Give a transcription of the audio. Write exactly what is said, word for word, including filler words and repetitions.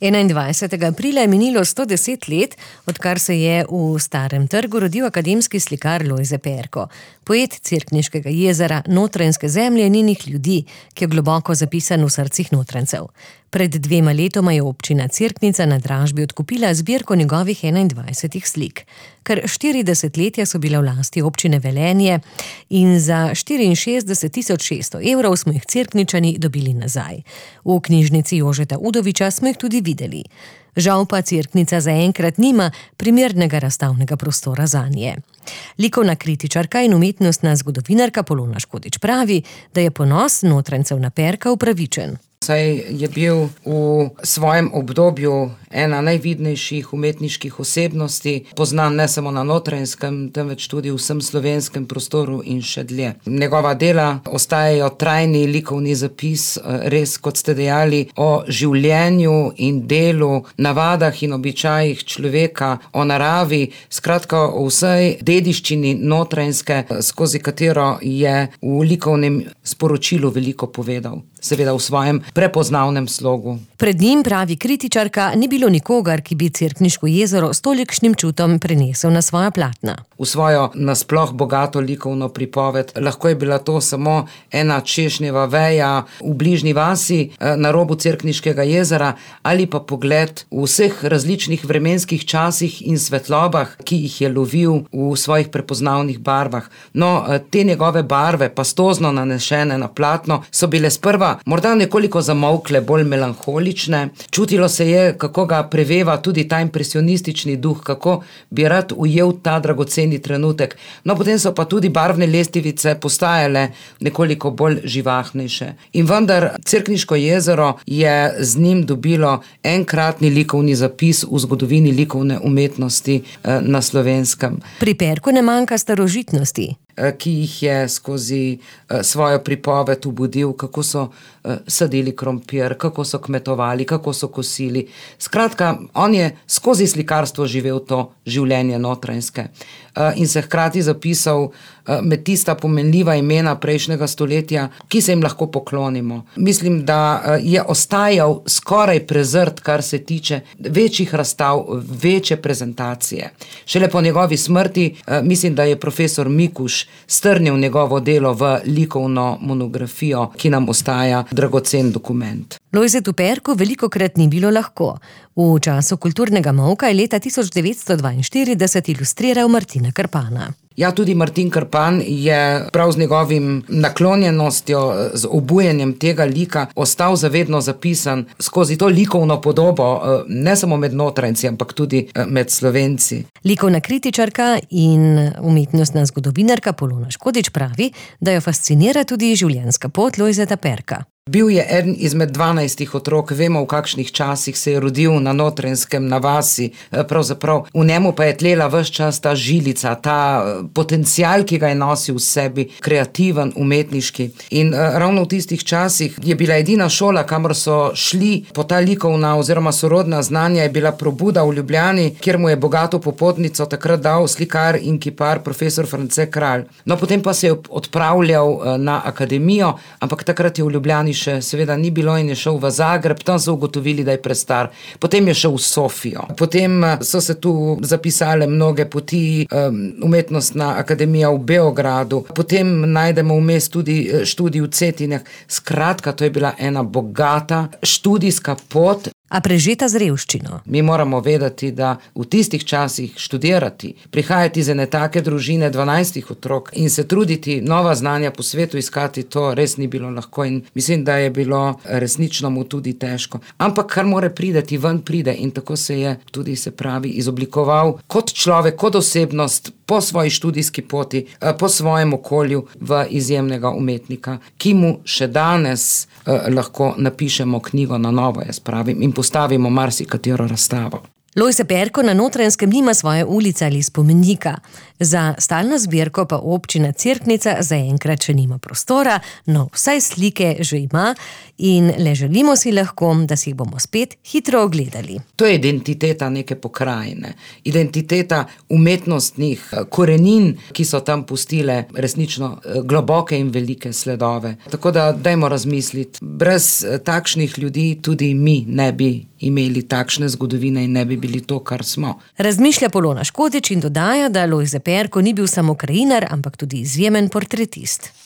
enaindvajsetega aprila je minilo sto deset let, odkar se je v Starem trgu rodil akademski slikar Lojze Perko, poet Cerkniškega jezera, Notranjske zemlje in njenih ljudi, ki je globoko zapisan v srcih Notranjcev. Pred dvema letoma je občina Cerknica na dražbi odkupila zbirko njegovih enaindvajsetih slik. Kar štiri desetletja so bile v lasti občine Velenje in za štiriinšestdeset tisoč šeststo evrov smo jih Cerkničani dobili nazaj. V knjižnici Jožeta Udoviča smo jih tudi videli. Žal pa Cerknica zaenkrat nima primernega razstavnega prostora zanje. Likovna kritičarka in umetnostna zgodovinarka Polona Škodič pravi, da je ponos Notranjcev na Perka upravičen. Saj je bil v svojem obdobju ena najvidnejših umetniških osebnosti, poznan ne samo na Notranjskem, temveč tudi v vsem slovenskem prostoru in še dlje. Njegova dela ostajajo trajni likovni zapis, res, kot ste dejali, o življenju in delu, navadah in običajih človeka, o naravi, skratka o vsej dediščini Notranjske, skozi katero je v likovnem sporočilu veliko povedal. Seveda v svojem prepoznavnem slogu. Pred njim, pravi kritičarka, ni bilo nikogar, ki bi Cerkniško jezero s tolikšnim čutom prenesel na svoja platna. V svojo nasploh bogato likovno pripoved lahko je bila to samo ena češnjeva veja v bližnji vasi na robu Cerkniškega jezera ali pa pogled v vseh različnih vremenskih časih in svetlobah, ki jih je lovil v svojih prepoznavnih barvah. No, te njegove barve, pastozno nanešene na platno, so bile sprva morda nekoliko zamolkle, bolj melanholične. Čutilo se je, kako ga preveva tudi ta impresionistični duh, kako bi rad ujel ta dragoceni trenutek. No, potem so pa tudi barvne lestvice postajale nekoliko bolj živahnejše. In vendar Cerkniško jezero je z njim dobilo enkratni likovni zapis v zgodovini likovne umetnosti na Slovenskem. Pri Perku ne manjka starožitnosti, ki jih je skozi svojo pripoved ubudil, kako so sadili krompir, kako so kmetovali, kako so kosili. Skratka, on je skozi slikarstvo živel to življenje Notranjske in se hkrati zapisal med tista pomenljiva imena prejšnjega stoletja, ki se jim lahko poklonimo. Mislim, da je ostajal skoraj prezrt, kar se tiče večjih razstav, večje prezentacije. Šele po njegovi smrti, mislim, da je profesor Mikuš strnil njegovo delo v likovno monografijo, ki nam ostaja dragocen dokument. Lojzetu Perku velikokrat ni bilo lahko. V času kulturnega molka je leta tisoč devetsto dvainštirideset ilustriral Martina Krpana. Ja, tudi Martin Krpan je prav z njegovim naklonjenostjo, z obujenjem tega lika ostal zavedno zapisan skozi to likovno podobo, ne samo med Notranjci, ampak tudi med Slovenci. Likovna kritičarka in umetnostna zgodovinarka Polona Škodič pravi, da jo fascinira tudi življenjska pot Lojzeta Perka. Bil je eden izmed dvanajstih otrok, vemo, v kakšnih časih se je rodil na Notranjskem, na vasi, pravzaprav v njemu pa je tlela ves čas ta žilica, ta potencial, ki ga je nosil v sebi, kreativen, umetniški. In ravno v tistih časih je bila edina šola, kamor so šli po ta likovna oziroma sorodna znanja, je bila Probuda v Ljubljani, kjer mu je bogato popotnico takrat dal slikar in kipar profesor France Kralj. No, potem pa se je odpravljal na akademijo, ampak takrat je v Ljubljani še seveda ni bilo in je šel v Zagreb, tam so ugotovili, da je prestar. Potem je šel v Sofijo. Potem so se tu zapisale mnoge poti, umetnostna akademija v Beogradu. Potem najdemo vmes tudi študij v Cetinjah. Skratka, to je bila ena bogata študijska pot. A prežeta z revščino. Mi moramo vedeti, da v tistih časih študirati, prihajati iz ene take družine dvanajstih otrok in se truditi nova znanja po svetu iskati, to res ni bilo lahko in mislim, da je bilo resnično mu tudi težko. Ampak kar more prideti, ven pride in tako se je tudi, se pravi, izoblikoval kot človek, kot osebnost, po svoji študijski poti, po svojem okolju v izjemnega umetnika, ki mu še danes eh, lahko napišemo knjigo na novo, jaz pravim, in postavimo marsikatero razstavo. Lojze Perko na Notranjskem nima svoje ulice ali spomenika. Za stalno zbirko pa občina Cerknica zaenkrat še nima prostora, no vsaj slike že ima in le želimo si lahko, da si jih bomo spet hitro ogledali. To je identiteta neke pokrajine, identiteta umetnostnih korenin, ki so tam pustile resnično globoke in velike sledove. Tako da dajmo razmisliti, brez takšnih ljudi tudi mi ne bi imeli takšne zgodovine in ne bi bili to, kar smo. Razmišlja Polona Škodič in dodaja, da Lojze Perko ni bil samo krajinar, ampak tudi izjemen portretist.